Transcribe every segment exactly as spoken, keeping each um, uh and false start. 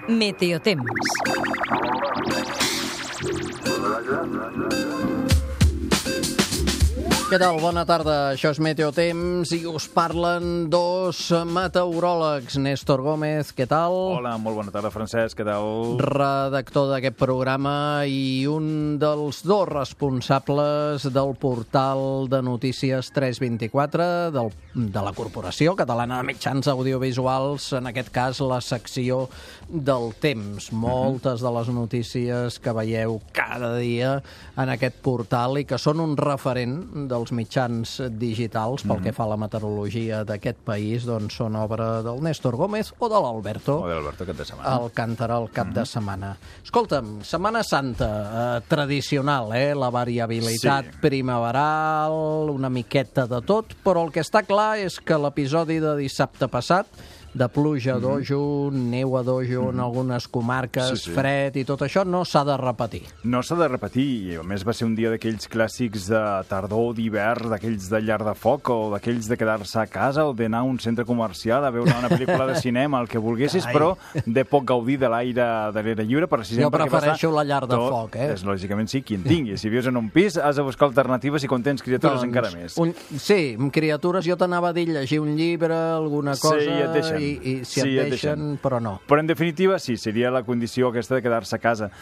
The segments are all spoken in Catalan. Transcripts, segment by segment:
Meteotemps. Què tal? Bona tarda. Això és Meteotemps i us parlen dos meteoròlegs. Néstor Gómez, què tal? Hola, molt bona tarda, Francesc, què tal? Redactor d'aquest programa i un dels dos responsables del portal de notícies tres vint-i-quatre del, de la Corporació Catalana de Mitjans Audiovisuals, en aquest cas la secció del temps. Moltes de les notícies que veieu cada dia en aquest portal i que són un referent dels mitjans digitals pel mm-hmm. que fa a la meteorologia d'aquest país, doncs són obra del Néstor Gómez o de l'Alberto. O de l'Alberto cap de setmana. Alcántara el cap mm-hmm. de setmana. Escolta'm, Setmana Santa, eh, tradicional, eh? La variabilitat sí. primaveral, una miqueta de tot, però el que està clar és que l'episodi de dissabte passat de pluja a dojo, mm-hmm. neu a dojo mm-hmm. en algunes comarques, sí, sí. fred i tot això, no s'ha de repetir. No s'ha de repetir, i a més va ser un dia d'aquells clàssics de tardor, d'hivern, d'aquells de llar de foc, o d'aquells de quedar-se a casa, o d'anar a un centre comercial a veure una pel·lícula de cinema, el que volguessis, Carai. Però de poc gaudir de l'aire de l'aire lliure, precisament jo prefereixo la llar de tot, foc, eh? És, lògicament sí, qui en tingui. Si vius en un pis, has de buscar alternatives i quan tens criatures doncs, encara més. Un, sí, amb criatures jo t'anava a dir llegir un llibre, alguna cosa, sí, i et deixen. I, i si sí, et deixen, deixen, però no. Però en definitiva sí, seria la condició aquesta de quedar-se a casa.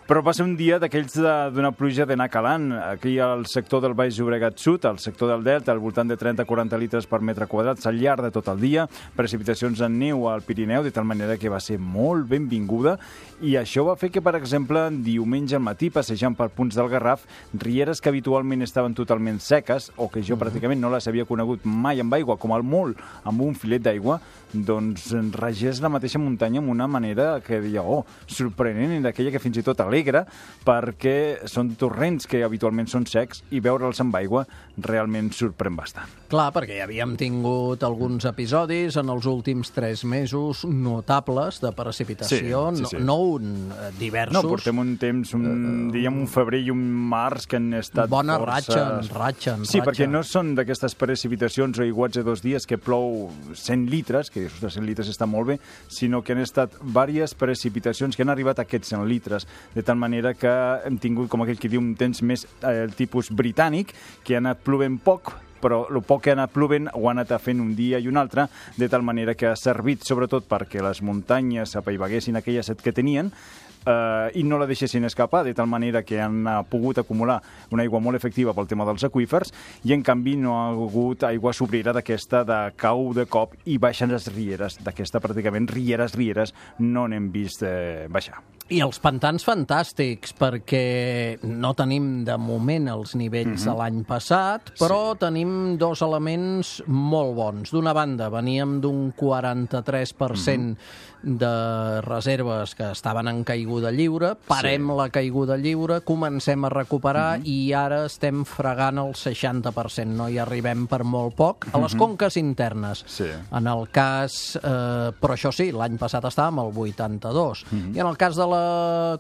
Però va ser un dia d'aquells d'una pluja d'anar calant. Aquí al sector del Baix Llobregat Sud, al sector del Delta, al voltant de trenta a quaranta litres per metre quadrat, al llarg de tot el dia, precipitacions en neu al Pirineu, de tal manera que va ser molt benvinguda, i això va fer que, per exemple, diumenge al matí, passejant per punts del Garraf, rieres que habitualment estaven totalment seques, o que jo pràcticament no les havia conegut mai amb aigua, com al molt amb un filet d'aigua, doncs regés la mateixa muntanya amb una manera que deia, oh, sorprenent, i d'aquella que fins i tot alegra, perquè són torrents que habitualment són secs i veure'ls amb aigua realment sorprèn bastant. Clar, perquè ja havíem tingut alguns episodis en els últims tres mesos notables de precipitació, sí, sí, sí. no, no un, diversos. No, portem un temps, un, uh, diríem un febrer i un març que han estat bona força... ratxa, ratxa, Sí, ratxa. perquè no són d'aquestes precipitacions o aiguats de dos dies que plou cent litres, que dius, cent litres està molt bé, sinó que han estat diverses precipitacions que han arribat a aquests cent litres, de tal manera que hem tingut, com aquell que diu, un temps més eh, tipus britànic, que ha anat plovent poc, però el poc que ha anat plovent ho ha anat fent un dia i un altre, de tal manera que ha servit sobretot perquè les muntanyes apaivaguessin aquella set que tenien, Uh, i no la deixessin escapar, de tal manera que han uh, pogut acumular una aigua molt efectiva pel tema dels aqüífers, i en canvi no ha hagut aigua sobrera d'aquesta de cau de cop i baixen les rieres. D'aquesta pràcticament rieres, rieres, no n'hem vist eh, baixar. I els pantans fantàstics, perquè no tenim de moment els nivells mm-hmm. de l'any passat, però sí. tenim dos elements molt bons. D'una banda, veníem d'un quaranta-tres per cent mm-hmm. de reserves que estaven en caiguda lliure, parem sí. la caiguda lliure, comencem a recuperar mm-hmm. i ara estem fregant el seixanta per cent, no hi arribem per molt poc, a les mm-hmm. conques internes. Sí. En el cas, eh, però això sí, l'any passat estàvem al vuitanta-dos, mm-hmm. i en el cas de la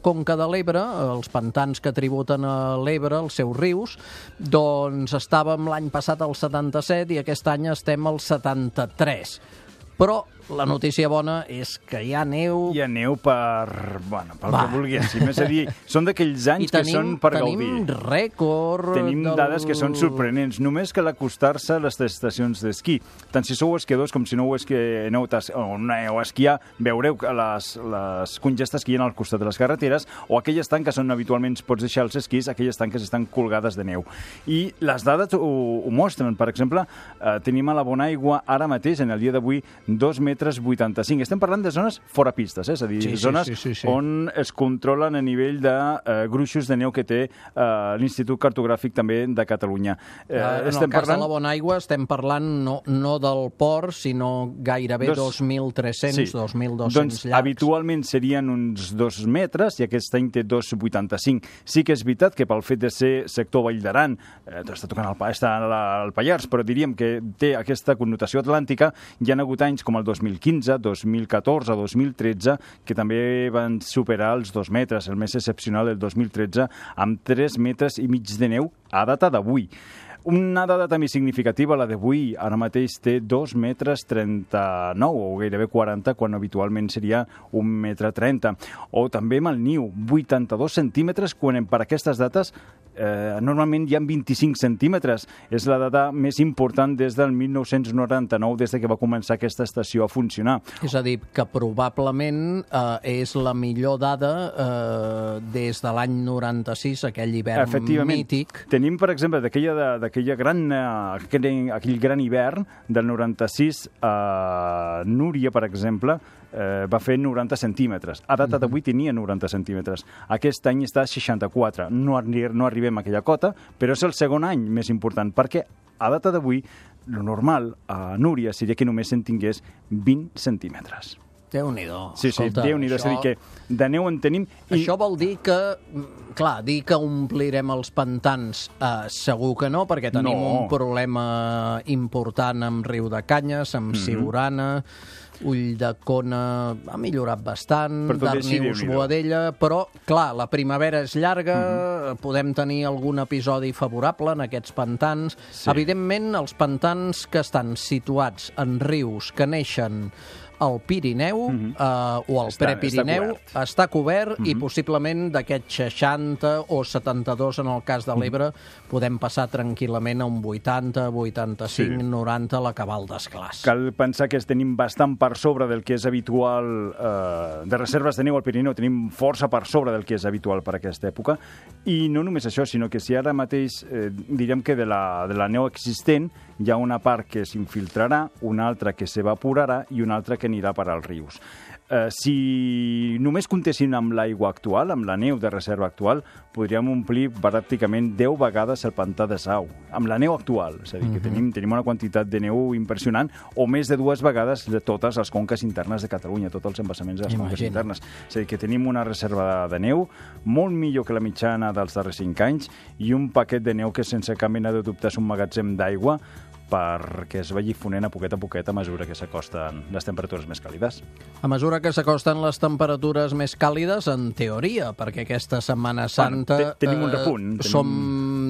Conca de l'Ebre, els pantans que tributen a l'Ebre, els seus rius, doncs estàvem l'any passat al setanta-set i aquest any estem al setanta-tres. Però la notícia bona és que hi ha neu... Hi ha neu per... Bueno, pel Va. que volguéssim. És a dir, són d'aquells anys tenim, que són per tenim gaudir. Tenim rècord... Tenim del... dades que són sorprenents. Només que l'acostar-se a les estacions d'esquí. Tant si sou esquiadors com si no ho esquieu o aneu a esquiar, veureu les, les congestes que hi ha al costat de les carreteres, o aquelles tanques on habitualment pots deixar els esquís, aquelles tanques estan colgades de neu. I les dades ho, ho mostren. Per exemple, eh, tenim a la Bonaigua ara mateix, en el dia d'avui, dos metres vuitanta-cinc. Estem parlant de zones fora pistes, eh? És a dir, sí, zones sí, sí, sí, sí. on es controlen a nivell de eh, gruixos de neu que té eh, l'Institut Cartogràfic també de Catalunya. Eh, en estem el cas parlant... de la Bonaigua estem parlant no, no del port, sinó gairebé dos, dos mil tres-cents, sí. dos mil dos-cents doncs, llacs. Habitualment serien uns dos metres i aquest any té dos coma vuitanta-cinc. Sí que és veritat que pel fet de ser sector Vall d'Aran, eh, està tocant el, està al Pallars, però diríem que té aquesta connotació atlàntica. Hi ha hagut anys com el dos mil quinze, dos mil catorze, dos mil tretze, que també van superar els dos metres. El més excepcional, el dos mil tretze, amb tres metres i mig de neu a data d'avui. Una dada també significativa, la d'avui, ara mateix té dos metres trenta-nou, o gairebé quaranta, quan habitualment seria un metre trenta. O també amb el niu, vuitanta-dos centímetres, quan per aquestes dates eh, normalment hi ha vint-i-cinc centímetres. És la data més important des del mil nou-cents noranta-nou, des de que va començar aquesta estació a funcionar. És a dir, que probablement eh, és la millor dada eh, des de l'any noranta-sis, aquell hivern mític. Tenim, per exemple, d'aquella d'aquella gran, uh, aquell, aquell gran hivern del noranta-sis, uh, Núria, per exemple, uh, va fer noranta centímetres. A data d'avui tenia noranta centímetres. Aquest any està a seixanta-quatre. No, arri no arribem a aquella cota, però és el segon any més important, perquè a data d'avui, lo normal a Núria seria que només en tingués vint centímetres. Déu-n'hi-do. Sí, sí, Déu-n'hi-do. Això... És a dir, que de neu en tenim... I... Això vol dir que, clar, dir que omplirem els pantans, eh, segur que no, perquè tenim no. un problema important amb Riu de Canyes, amb mm-hmm. Siurana, Ulldecona ha millorat bastant, Darnius, Boadella, però, clar, la primavera és llarga, mm-hmm. podem tenir algun episodi favorable en aquests pantans. Sí. Evidentment, els pantans que estan situats en rius que neixen al Pirineu, mm-hmm. eh, o al està, Prepirineu, està cobert, està cobert mm-hmm. i possiblement d'aquests seixanta o setanta-dos en el cas de l'Ebre mm-hmm. podem passar tranquil·lament a un vuitanta, vuitanta-cinc, sí. noranta a la cabal d'esclàs. Cal pensar que tenim bastant per sobre del que és habitual eh, de reserves de neu al Pirineu, tenim força per sobre del que és habitual per aquesta època, i no només això, sinó que si ara mateix eh, direm que de la, de la neu existent hi ha una part que s'infiltrarà, una altra que s'evaporarà i una altra que anirà per als rius. Eh, si només comptessin amb l'aigua actual, amb la neu de reserva actual, podríem omplir pràcticament deu vegades el pantà de Sau, amb la neu actual. És a dir, que tenim, tenim una quantitat de neu impressionant, o més de dues vegades de totes les conques internes de Catalunya, tots els embassaments de les conques internes. És a dir, que tenim una reserva de neu molt millor que la mitjana dels darrers cinc anys i un paquet de neu que sense cap mena de dubte és un magatzem d'aigua perquè es vagi fonent a poquet a poquet a mesura que s'acosten les temperatures més càlides. A mesura que s'acosten les temperatures més càlides, en teoria, perquè aquesta Setmana Santa... Bueno, tenim un repunt. Eh, tenim... Som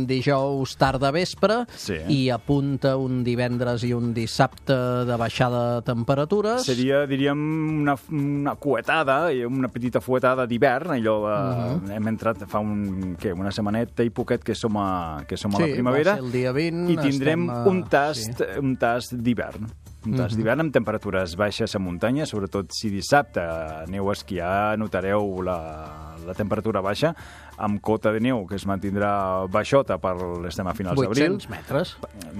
dijous tarda vespre sí. i apunta un divendres i un dissabte de baixada de temperatures. Seria, diríem, una, una cuetada, una petita fuetada d'hivern, allò uh -huh. hem entrat fa un, què, una setmaneta i poquet que som a, que som a sí, la primavera el dia vint, i tindrem a... un tast, sí. un tast d'hivern. Un tast uh-huh. d'hivern amb temperatures baixes a muntanya, sobretot si dissabte aneu a esquiar, notareu la, la temperatura baixa, amb cota de neu que es mantindrà baixota per l'estem a finals d'abril. vuit-cents metres.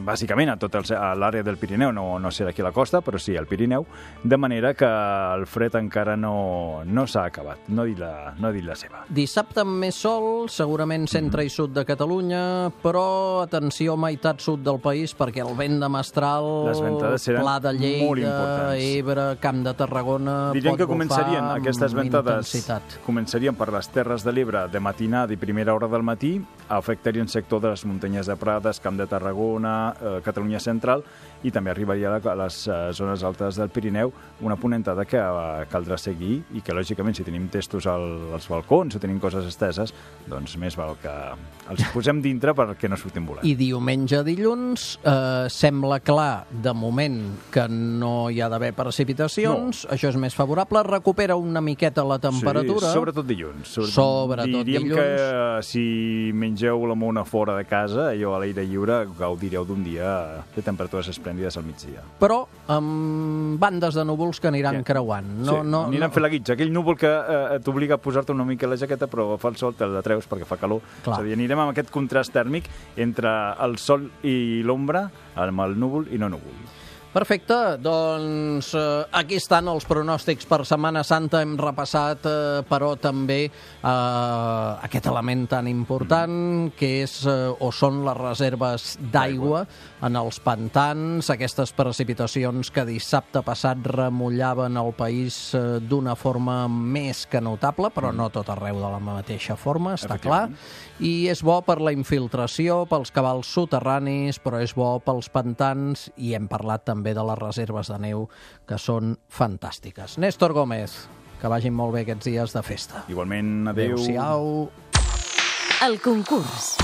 Bàsicament a tot l'àrea del Pirineu, no, no serà aquí a la costa, però sí al Pirineu, de manera que el fred encara no, no s'ha acabat, no ha dit la, no ha dit la seva. Dissabte amb més sol, segurament centre mm. i sud de Catalunya, però atenció, meitat sud del país, perquè el vent de mestral, les ventades seran Pla de Lleida, Ebre, Camp de Tarragona, diríem pot que començarien aquestes ventades intensitat. Començarien per les Terres de l'Ebre de matí de primera hora del matí, afectarien sector de les muntanyes de Prades, Camp de Tarragona, eh, Catalunya Central, i també arribaria a les eh, zones altes del Pirineu, una ponentada que eh, caldrà seguir i que, lògicament, si tenim testos al, als balcons o tenim coses esteses, doncs més val que els posem dintre perquè no surtin volant. I diumenge, dilluns, eh, sembla clar, de moment, que no hi ha d'haver precipitacions, no. Això és més favorable, recupera una miqueta la temperatura. Sí, sobretot dilluns. Sobretot, sobretot diríem dilluns. que si mengeu la mona fora de casa, allò a l'aire lliure, gaudireu d'un dia de temperatures esplèndides al migdia. Però amb bandes de núvols que aniran sí. creuant. No, sí, no, aniran no... fent la guitza. Aquell núvol que eh, t'obliga a posar-te una mica la jaqueta, però fa el sol, te la treus perquè fa calor. Clar. És a dir, anirem amb aquest contrast tèrmic entre el sol i l'ombra, amb el núvol i no núvol. Perfecte, doncs eh, aquí estan els pronòstics per Setmana Santa. Hem repassat, eh, però també eh, aquest element tan important que és eh, o són les reserves d'aigua en els pantans, aquestes precipitacions que dissabte passat remullaven el país eh, d'una forma més que notable, però no tot arreu de la mateixa forma, està clar. I és bo per la infiltració, pels cabals soterranis, però és bo pels pantans, i hem parlat també de les reserves de neu, que són fantàstiques. Néstor Gómez, que vagin molt bé aquests dies de festa. Igualment, adéu. Adéu-siau. El concurs.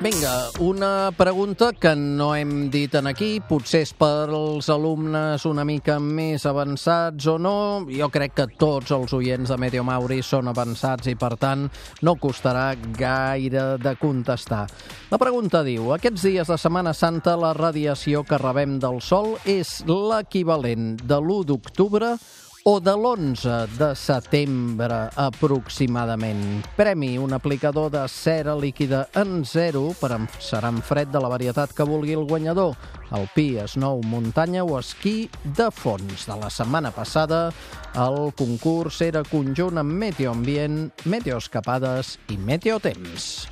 Vinga, una pregunta que no hem dit en aquí, potser és per als alumnes una mica més avançats o no. Jo crec que tots els oients de Meteo Mauri són avançats i, per tant, no costarà gaire de contestar. La pregunta diu: aquests dies de Setmana Santa la radiació que rebem del Sol és l'equivalent de l'u d'octubre o de l'onze de setembre, aproximadament. Premi: un aplicador de cera líquida en zero per serà en fred de la varietat que vulgui el guanyador. Alpí, snow, muntanya o esquí de fons. De la setmana passada, el concurs era conjunt amb Meteoambient, Meteoescapades i Meteotemps.